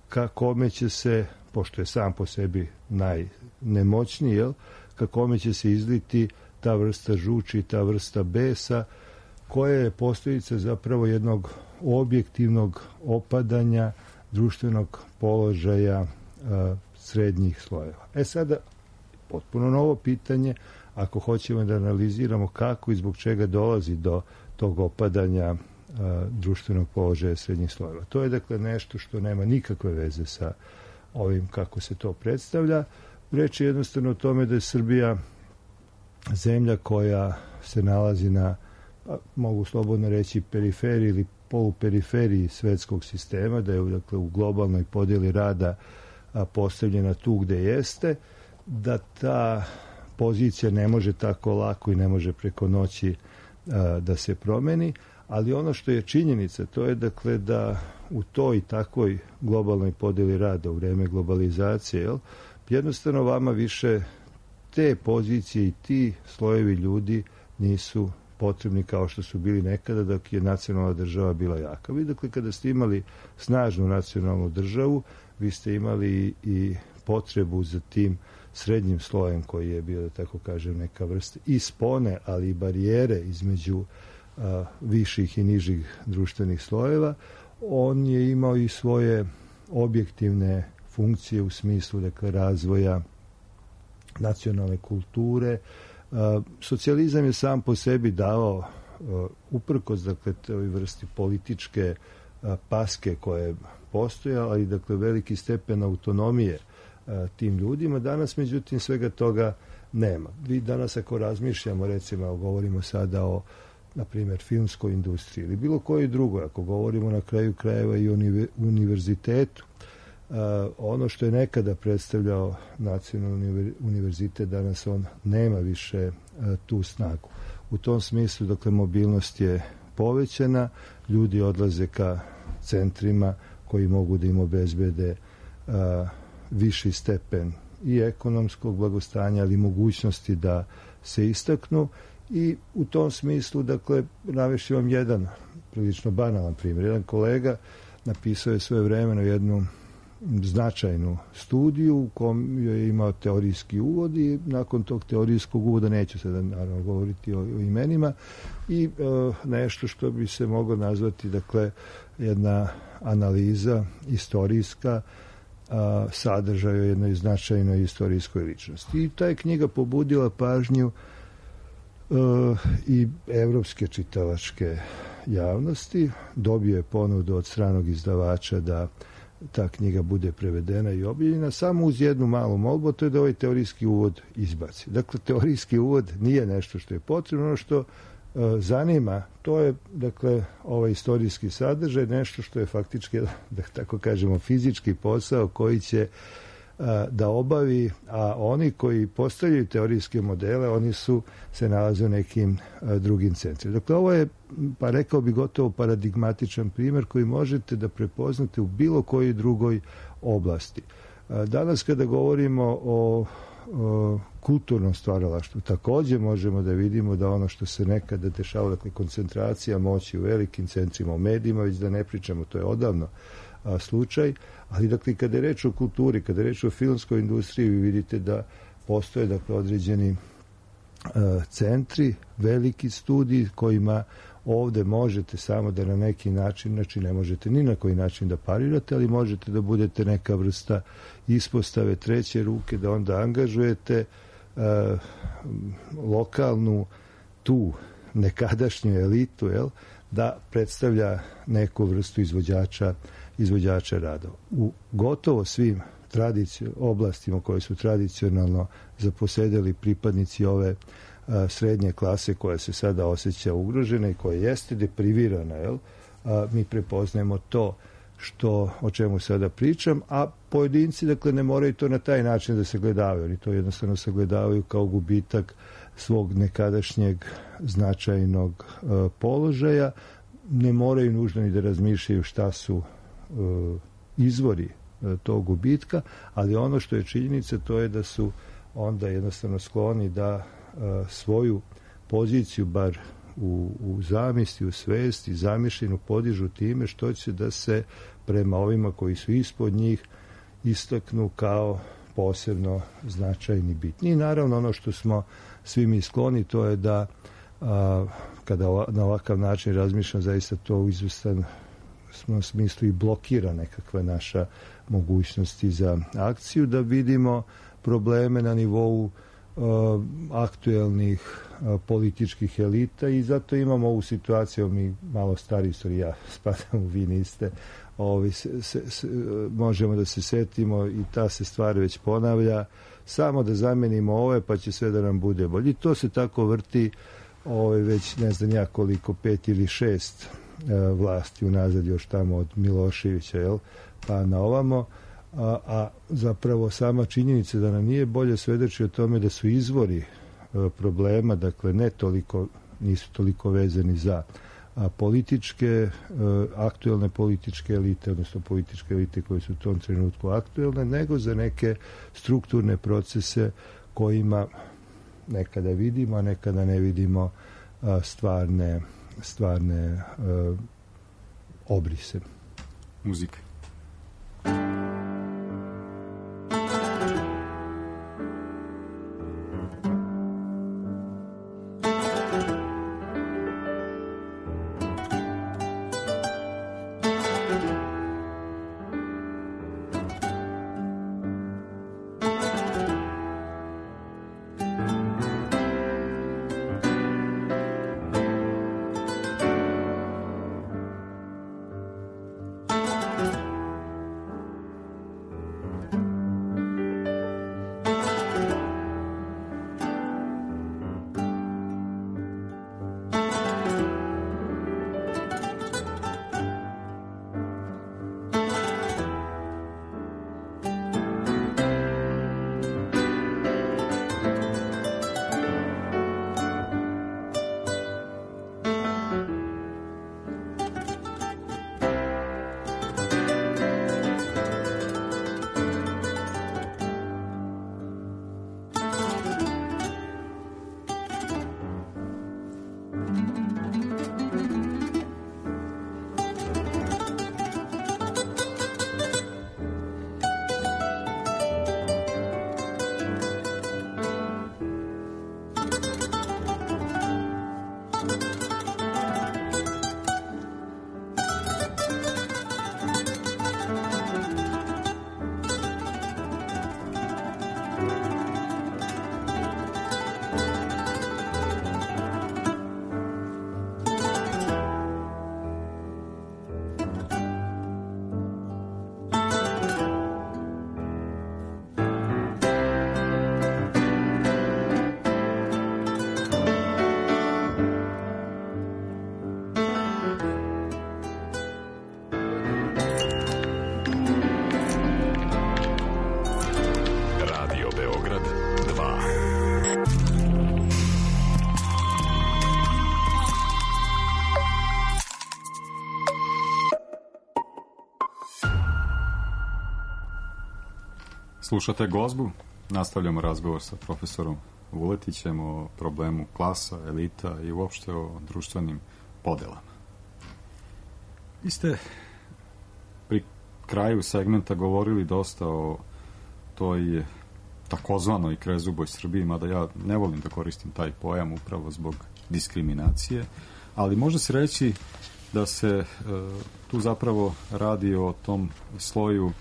Speaker 5: ka kome će se, pošto je sam po sebi najnemoćniji, jel, ka kome će se izliti ta vrsta žuči, ta vrsta besa, koja je posljedica zapravo jednog objektivnog opadanja društvenog položaja a, srednjih slojeva. E sada, potpuno novo pitanje, ako hoćemo da analiziramo kako i zbog čega dolazi do tog opadanja a, društvenog položaja srednjih slojeva. To je, dakle, nešto što nema nikakve veze sa ovim kako se to predstavlja. Reč je jednostavno o tome da je Srbija zemlja koja se nalazi na, pa, mogu slobodno reći, periferiji ili poluperiferiji svetskog sistema, da je, dakle, u globalnoj podjeli rada a, postavljena tu gde jeste, da ta pozicija ne može tako lako i ne može preko noći a, da se promeni, ali ono što je činjenica, to je, dakle, da u toj takvoj globalnoj podjeli rada u vreme globalizacije, jel, jednostavno vama više te pozicije i ti slojevi ljudi nisu potrebni kao što su bili nekada dok je nacionalna država bila jaka. Vi, dakle, kada ste imali snažnu nacionalnu državu, vi ste imali i potrebu za tim srednjim slojem koji je bio, da tako kažem, neka vrsta i spone, ali i barijere između a, viših i nižih društvenih slojeva. On je imao i svoje objektivne funkcije u smislu, dakle, razvoja nacionalne kulture. A, socijalizam je sam po sebi dao, a, uprkos, dakle, toj vrsti političke a, paske koje je postojala, ali, dakle, veliki stepen autonomije a, tim ljudima. Danas, međutim, svega toga nema. Vi danas, ako razmišljamo, recimo, govorimo sada o, na primjer, filmskoj industriji ili bilo koji drugoj, ako govorimo na kraju krajeva i o univerzitetu, Uh, ono što je nekada predstavljao nacionalni univerzitet, danas on nema više uh, tu snagu. U tom smislu, dakle, mobilnost je povećana, ljudi odlaze ka centrima koji mogu da im obezbede uh, viši stepen i ekonomskog blagostanja, ali mogućnosti da se istaknu, i u tom smislu, dakle, navešću vam jedan prilično banalan primjer. Jedan kolega napisao je svoje vremeno jednu značajnu studiju u kom je imao teorijski uvod i nakon tog teorijskog uvoda, neću sada naravno govoriti o, o imenima, i e, nešto što bi se moglo nazvati, dakle, jedna analiza istorijska a, sadržaja jednoj značajnoj istorijskoj ličnosti. I ta je knjiga pobudila pažnju e, i evropske čitalačke javnosti. Dobio je ponudu od stranog izdavača da ta knjiga bude prevedena i objavljena, samo uz jednu malu molbu, to je da ovaj teorijski uvod izbaci. Dakle, teorijski uvod nije nešto što je potrebno, ono što e, zanima, to je, dakle, ovaj istorijski sadržaj, nešto što je faktički, da tako kažemo, fizički posao koji će a, da obavi, a oni koji postavljaju teorijske modele, oni su se nalaze u nekim a, drugim centrima. Dakle, ovo je, pa rekao bi, gotovo paradigmatičan primjer koji možete da prepoznate u bilo kojoj drugoj oblasti. A, danas kada govorimo o, o kulturnom stvaralaštvu, također možemo da vidimo da ono što se nekada dešava, dakle, koncentracija moći u velikim centrima, u medijima, već da ne pričamo, to je odavno a, slučaj, ali, dakle, kada je reč o kulturi, kada je reč o filmskoj industriji, vi vidite da postoje, dakle, određeni a, centri, veliki studiji kojima ovde možete samo da na neki način, znači ne možete ni na koji način da parirate, ali možete da budete neka vrsta ispostave treće ruke, da onda angažujete uh, lokalnu tu nekadašnju elitu, jel, da predstavlja neku vrstu izvođača, izvođača radova. U gotovo svim tradici, oblastima koje su tradicionalno zaposedeli pripadnici ove a, srednje klase koja se sada osjeća ugrožena i koja jeste deprivirana, jel? A, mi prepoznajemo to što, o čemu sada pričam, a pojedinci, dakle, ne moraju to na taj način da se gledavaju, oni to jednostavno sagledavaju kao gubitak svog nekadašnjeg značajnog a, položaja, ne moraju nužno ni da razmišljaju šta su a, izvori a, tog gubitka, ali ono što je činjenica, to je da su onda jednostavno skloni da a, svoju poziciju, bar u, u zamisli, u svesti, zamišljenu podižu time što će da se prema ovima koji su ispod njih istaknu kao posebno značajni bitni. I naravno ono što smo svi mi skloni, to je da a, kada ova, na ovakav način razmišljam, zaista to u izvestan smo smislu i blokira nekakva naša mogućnosti za akciju, da vidimo probleme na nivou uh, aktuelnih uh, političkih elita i zato imamo ovu situaciju, mi malo stari istori, ja spadam u, vi niste, ovi, se, se, se, možemo da se setimo i ta se stvar već ponavlja, samo da zamenimo ove pa će sve da nam bude bolje. I to se tako vrti ove, već ne znam ja koliko, pet ili šest uh, vlasti unazad, još tamo od Miloševića, jel, pa na ovamo. A, a zapravo sama činjenica da nam nije bolje svedoči o tome da su izvori a, problema, dakle ne toliko, nisu toliko vezani za a, političke, a, aktuelne političke elite, odnosno političke elite koje su u tom trenutku aktuelne, nego za neke strukturne procese kojima nekada vidimo, a nekada ne vidimo a, stvarne, stvarne a, obrise.
Speaker 1: Muzika. Slušate Gozbu, nastavljamo razgovor sa profesorom Vuletićem o problemu klasa, elita i uopšte o društvenim podelama. Vi ste pri kraju segmenta govorili dosta o toj takozvanoj krezuboj Srbiji, mada ja ne volim da koristim taj pojam upravo zbog diskriminacije, ali može se reći da se e, tu zapravo radi o tom sloju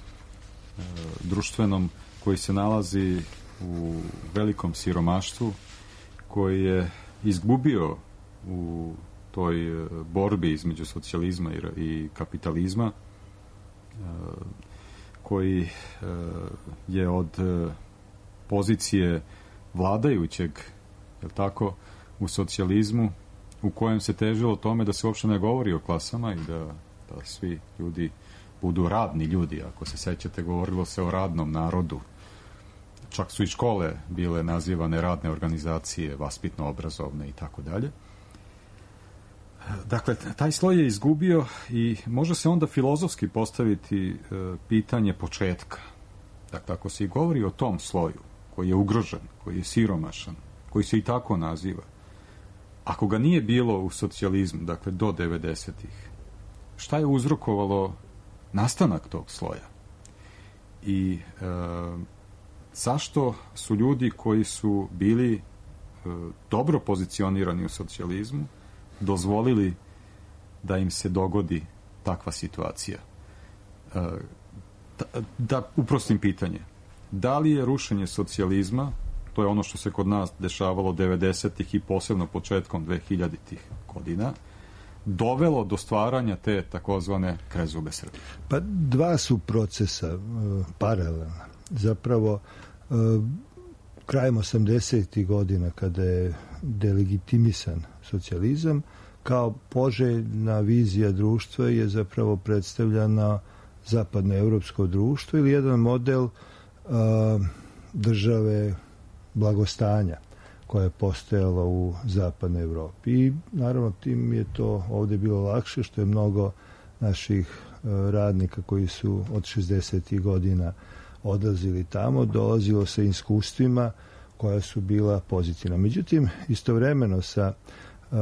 Speaker 1: e, društvenom koji se nalazi u velikom siromaštvu, koji je izgubio u toj borbi između socijalizma i, i kapitalizma, e, koji e, je od e, pozicije vladajućeg, je li tako, u socijalizmu, u kojem se težilo tome da se uopšte ne govori o klasama i da, da svi ljudi budu radni ljudi. Ako se sećate, govorilo se o radnom narodu. Čak su i škole bile nazivane radne organizacije, vaspitno-obrazovne i tako dalje. Dakle, taj sloj je izgubio i može se onda filozofski postaviti e, pitanje početka. Dakle, ako se i govori o tom sloju koji je ugrožen, koji je siromašan, koji se i tako naziva, ako ga nije bilo u socijalizmu, dakle do devedesetih, šta je uzrokovalo nastanak tog sloja? I e, zašto su ljudi koji su bili e, dobro pozicionirani u socijalizmu dozvolili da im se dogodi takva situacija? E, da, da uprostim pitanje. Da li je rušenje socijalizma, to je ono što se kod nas dešavalo devedesetih i posebno početkom dvehiljaditih godina, dovelo do stvaranja te takozvane krezube Srbije?
Speaker 5: Pa dva su procesa uh, paralelna. Zapravo, uh, krajem osamdesetih godina, kada je delegitimisan socijalizam, kao poželjna vizija društva je zapravo predstavljana zapadnoevropsko društvo ili jedan model uh, države blagostanja koja je postojala u zapadnoj Evropi. I naravno tim je to ovdje bilo lakše, što je mnogo naših uh, radnika koji su od šezdesetih godina odlazili tamo, dolazilo sa iskustvima koja su bila pozitivna. Međutim, istovremeno sa uh,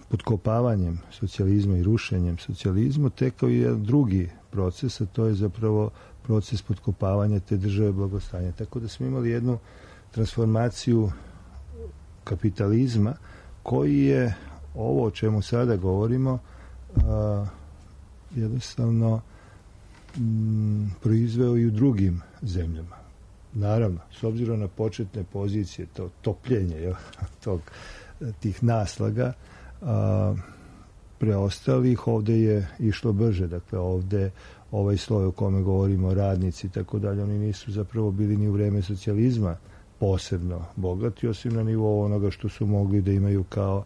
Speaker 5: potkopavanjem socijalizma i rušenjem socijalizma tekao je jedan drugi proces, a to je zapravo proces potkopavanja te države blagostanja. Tako da smo imali jednu transformaciju kapitalizma koji je ovo o čemu sada govorimo a, jednostavno m, proizveo i u drugim zemljama. Naravno, s obzirom na početne pozicije, to topljenje jel, tog, tih naslaga, a, preostalih ovdje je išlo brže. Dakle, ovdje ovaj sloj o kome govorimo, radnici i tako dalje, oni nisu zapravo bili ni u vreme socijalizma posebno bogati, osim na nivou onoga što su mogli da imaju kao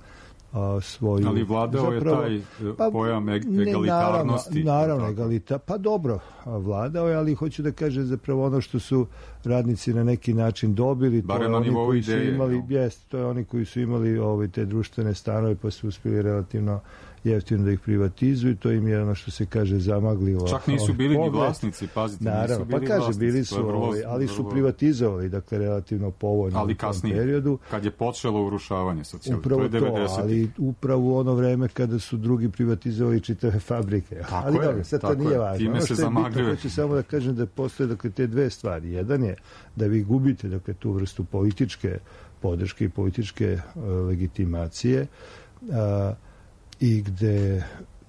Speaker 5: a, svoju...
Speaker 1: Ali vladao zapravo, je taj pa, pojam egalitarnosti.
Speaker 5: Ne, naravno, naravno egalita, pa dobro, vladao je, ali hoću da kažem zapravo ono što su radnici na neki način dobili,
Speaker 1: bare
Speaker 5: to je
Speaker 1: na
Speaker 5: oni koji
Speaker 1: ideje,
Speaker 5: su imali,
Speaker 1: no.
Speaker 5: jest, to je oni koji su imali ovaj, te društvene stanove pa su uspjeli relativno jeftino da ih privatizuju, to im je ono što se kaže zamaglilo.
Speaker 1: Čak nisu bili ni vlasnici, pazite,
Speaker 5: naravno,
Speaker 1: nisu bili
Speaker 5: pa kaže,
Speaker 1: vlasnici.
Speaker 5: Bili su,
Speaker 1: vrlo,
Speaker 5: ovaj, ali su
Speaker 1: vrlo...
Speaker 5: privatizovali, dakle, relativno povoljno
Speaker 1: ali
Speaker 5: u tom
Speaker 1: kasnije,
Speaker 5: periodu.
Speaker 1: kad je počelo urušavanje socijalizma,
Speaker 5: upravo
Speaker 1: to je devedesetih.
Speaker 5: To, ali upravo u ono vreme kada su drugi privatizovali čitave fabrike.
Speaker 1: Tako
Speaker 5: ali
Speaker 1: je,
Speaker 5: dobro, sad to nije
Speaker 1: je.
Speaker 5: važno.
Speaker 1: Time
Speaker 5: ono
Speaker 1: se
Speaker 5: što je bitno,
Speaker 1: zamagljuje.
Speaker 5: hoću samo da kažem da postoje dakle, te dve stvari. Jedan je da vi gubite dakle, tu vrstu političke podrške i političke uh, legitimacije uh, i gde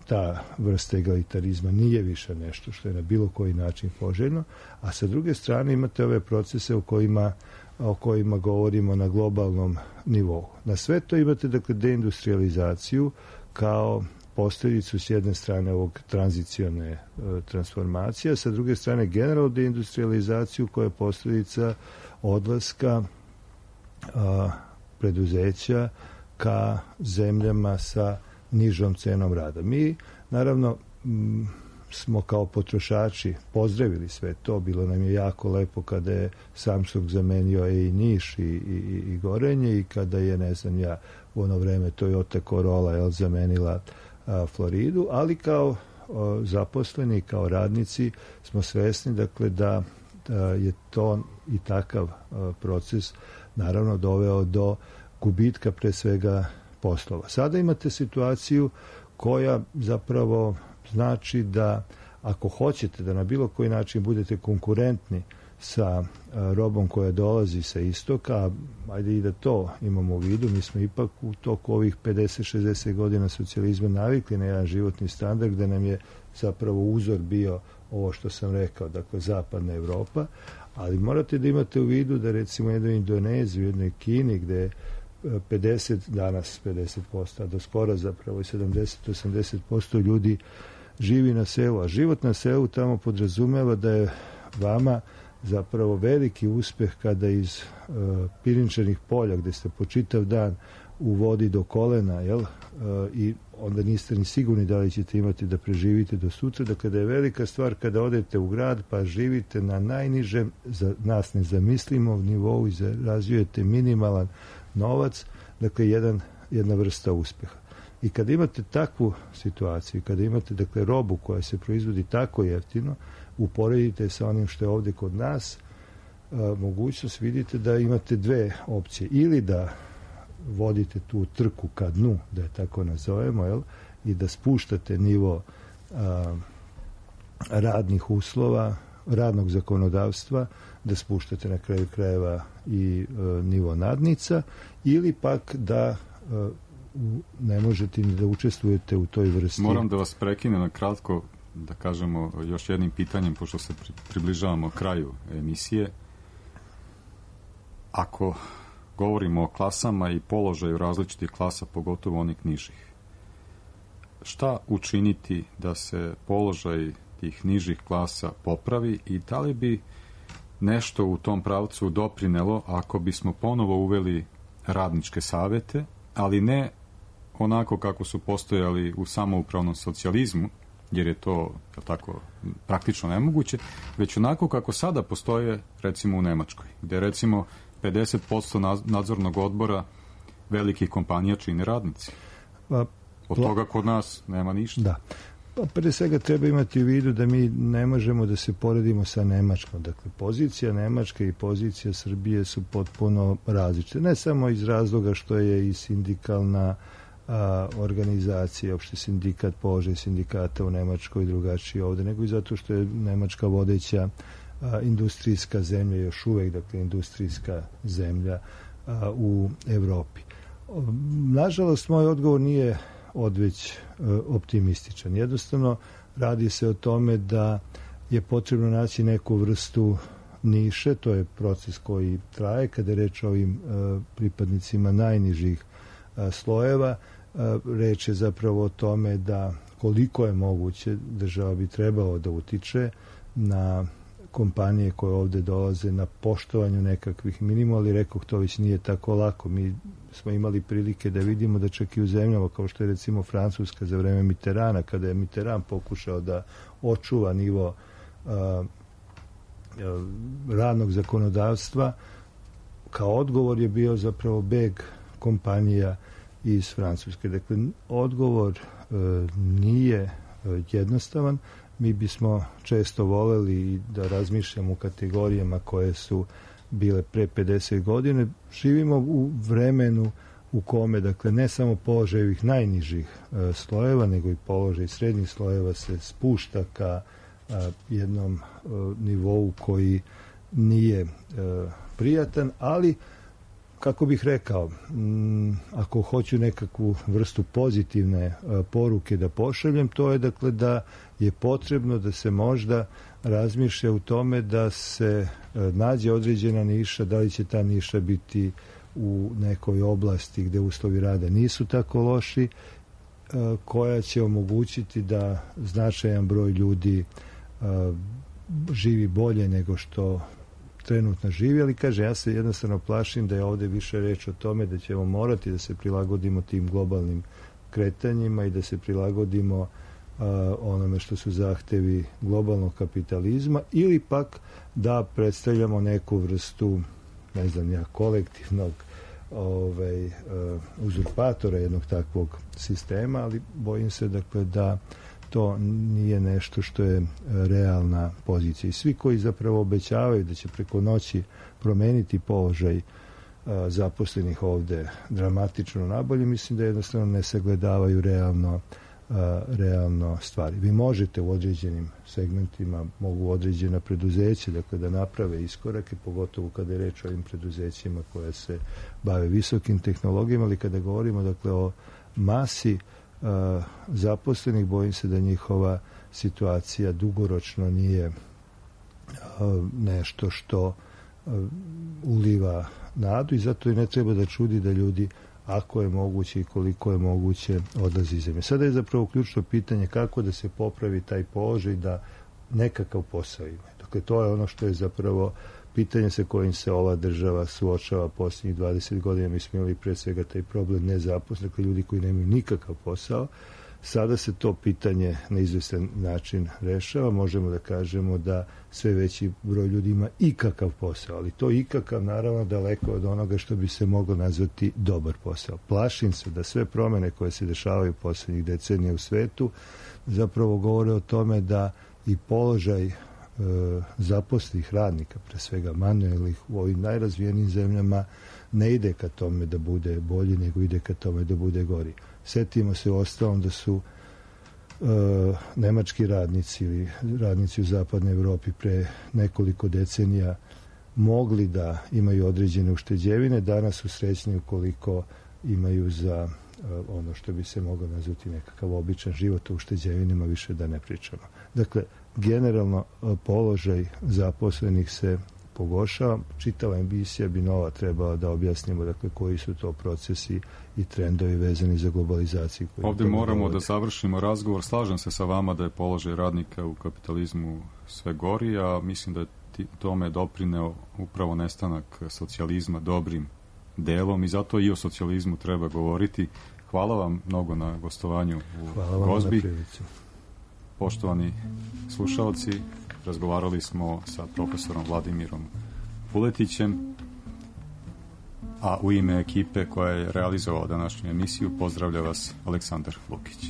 Speaker 5: ta vrsta egalitarizma nije više nešto što je na bilo koji način poželjno, a sa druge strane imate ove procese o kojima, o kojima govorimo na globalnom nivou. Na sve to imate dakle deindustrializaciju kao posljedicu s jedne strane ovog tranzicione e, transformacije, a sa druge strane generalnu deindustrializaciju koja je posljedica odlaska a, preduzeća ka zemljama sa nižom cenom rada. Mi, naravno, m, smo kao potrošači pozdravili sve to. Bilo nam je jako lepo kada je Samsung zamenio i Niš i, i, i Gorenje i kada je, ne znam ja, u ono vreme Toyota Corolla jel, zamenila a, Floridu, ali kao a, zaposleni, kao radnici smo svesni, dakle, da je to i takav proces naravno doveo do gubitka pre svega poslova. Sada imate situaciju koja zapravo znači da ako hoćete da na bilo koji način budete konkurentni sa robom koja dolazi sa istoka, ajde i da to imamo u vidu, mi smo ipak u toku ovih pedeset šezdeset godina socijalizma navikli na jedan životni standard gde nam je zapravo uzor bio ovo što sam rekao, dakle zapadna Evropa, ali morate da imate u vidu da recimo u jednoj Indoneziji, u jednoj Kini gde je pedeset, danas pedeset posto, a do skora zapravo i sedamdeset do osamdeset posto ljudi živi na selu, a život na selu tamo podrazumeva da je vama zapravo veliki uspeh kada iz uh, pirinčanih polja gde ste po čitav dan u vodi do kolena, jel? Uh, i onda niste ni sigurni da li ćete imati da preživite do sutra, dakle da je velika stvar kada odete u grad pa živite na najnižem, za nas nezamislimo nivou i zarađujete minimalan novac, dakle jedan, jedna vrsta uspeha. I kada imate takvu situaciju, kada imate dakle robu koja se proizvodi tako jeftino, uporedite sa onim što je ovde kod nas, a, mogućnost vidite da imate dve opcije. Ili da vodite tu trku ka dnu, da je tako nazovemo, jel? I da spuštate nivo a, radnih uslova, radnog zakonodavstva, da spuštate na kraju krajeva i a, nivo nadnica, ili pak da a, ne možete ni da učestvujete u toj vrsti.
Speaker 1: Moram da vas prekinem na kratko, da kažemo još jednim pitanjem, pošto se pri, približavamo kraju emisije. Ako govorimo o klasama i položaju različitih klasa, pogotovo onih nižih, šta učiniti da se položaj tih nižih klasa popravi i da li bi nešto u tom pravcu doprinelo ako bismo ponovo uveli radničke savete, ali ne onako kako su postojali u samoupravnom socijalizmu, jer je to tako praktično nemoguće, već onako kako sada postoje recimo u Nemačkoj, gde recimo pedeset posto nadzornog odbora velikih kompanija čine radnici.
Speaker 5: Pa,
Speaker 1: Od toga kod nas nema ništa.
Speaker 5: Da. Pa pre svega treba imati u vidu da mi ne možemo da se poredimo sa Nemačkom. Dakle, pozicija Nemačke i pozicija Srbije su potpuno različite. Ne samo iz razloga što je i sindikalna a, organizacija, opšte sindikat, položaj sindikata u Nemačkoj drugačiji ovde, nego i zato što je Nemačka vodeća a, industrijska zemlja, još uvek, dakle, industrijska zemlja a, u Evropi. Nažalost, moj odgovor nije odveć optimističan. Jednostavno, radi se o tome da je potrebno naći neku vrstu niše, to je proces koji traje, kada je reč o ovim pripadnicima najnižih slojeva. Reč je zapravo o tome da koliko je moguće država bi trebalo da utiče na kompanije koje ovde dolaze na poštovanju nekakvih minimuma, ali rekoh, to već nije tako lako. Mi smo imali prilike da vidimo da čak i u zemljama kao što je recimo Francuska za vreme Mitterranda, kada je Mitterrand pokušao da očuva nivo a, a, radnog zakonodavstva, kao odgovor je bio zapravo beg kompanija iz Francuske. Dakle, odgovor a, nije a, jednostavan. Mi bismo često voleli da razmišljamo u kategorijama koje su bile pre pedeset godine. Živimo u vremenu u kome, dakle, ne samo položaj ovih najnižih e, slojeva, nego i položaj srednjih slojeva se spušta ka e, jednom e, nivou koji nije e, prijatan, ali kako bih rekao, m, ako hoću nekakvu vrstu pozitivne a, poruke da pošaljem, to je dakle da je potrebno da se možda razmišlja u tome da se a, nađe određena niša, da li će ta niša biti u nekoj oblasti gde uslovi rada nisu tako loši, a, koja će omogućiti da značajan broj ljudi a, živi bolje nego što trenutno živi, ali kaže, ja se jednostavno plašim da je ovde više reč o tome da ćemo morati da se prilagodimo tim globalnim kretanjima i da se prilagodimo uh, onome što su zahtevi globalnog kapitalizma, ili pak da predstavljamo neku vrstu, ne znam ja, kolektivnog ovaj, uh, uzurpatora jednog takvog sistema, ali bojim se dakle da to nije nešto što je realna pozicija. I svi koji zapravo obećavaju da će preko noći promeniti položaj zaposlenih ovde dramatično nabolje, mislim da jednostavno ne sagledavaju realno, realno stvari. Vi možete u određenim segmentima, mogu određena preduzeća, dakle da naprave iskorake, pogotovo kada je reč o ovim preduzećima koja se bave visokim tehnologijama, ali kada govorimo dakle o masi uh, zaposlenih, bojim se da njihova situacija dugoročno nije uh, nešto što uh, uliva nadu i zato i ne treba da čudi da ljudi, ako je moguće i koliko je moguće, odlazi iz zemlje. Sada je zapravo ključno pitanje kako da se popravi taj položaj da nekakav posao ima. Dakle, to je ono što je zapravo pitanje sa kojim se ova država suočava posljednjih dvadeset godina. Mi smo imali pre svega taj problem nezaposlenih, dakle ljudi koji nemaju nikakav posao. Sada se to pitanje na izvestan način rešava. Možemo da kažemo da sve veći broj ljudi ima ikakav posao, ali to ikakav naravno daleko od onoga što bi se moglo nazvati dobar posao. Plašim se da sve promene koje se dešavaju poslednjih decenija u svetu zapravo govore o tome da i položaj e, zaposlenih radnika, pre svega manuelnih, u ovim najrazvijenim zemljama ne ide ka tome da bude bolji, nego ide ka tome da bude gori. Setimo se u ostalom da su e, nemački radnici ili radnici u zapadnoj Evropi pre nekoliko decenija mogli da imaju određene ušteđevine, danas su srećni ukoliko imaju za e, ono što bi se moglo nazvati nekakav običan život, o ušteđevinama više da ne pričamo. Dakle, generalno položaj zaposlenih se pogoršava. Čitava emisija bi nova trebala da objasnimo dakle koji su to procesi i trendovi vezani za globalizaciju.
Speaker 1: Ovdje moramo da završimo razgovor. Slažem se sa vama da je položaj radnika u kapitalizmu sve gori, a mislim da je tome doprineo upravo nestanak socijalizma dobrim delom i zato i o socijalizmu treba govoriti. Hvala vam mnogo na gostovanju u Gozbi. Poštovani slušalci, razgovarali smo sa profesorom Vladimirom Vuletićem, a u ime ekipe koja je realizovala današnju emisiju pozdravlja vas Aleksandar Lukić.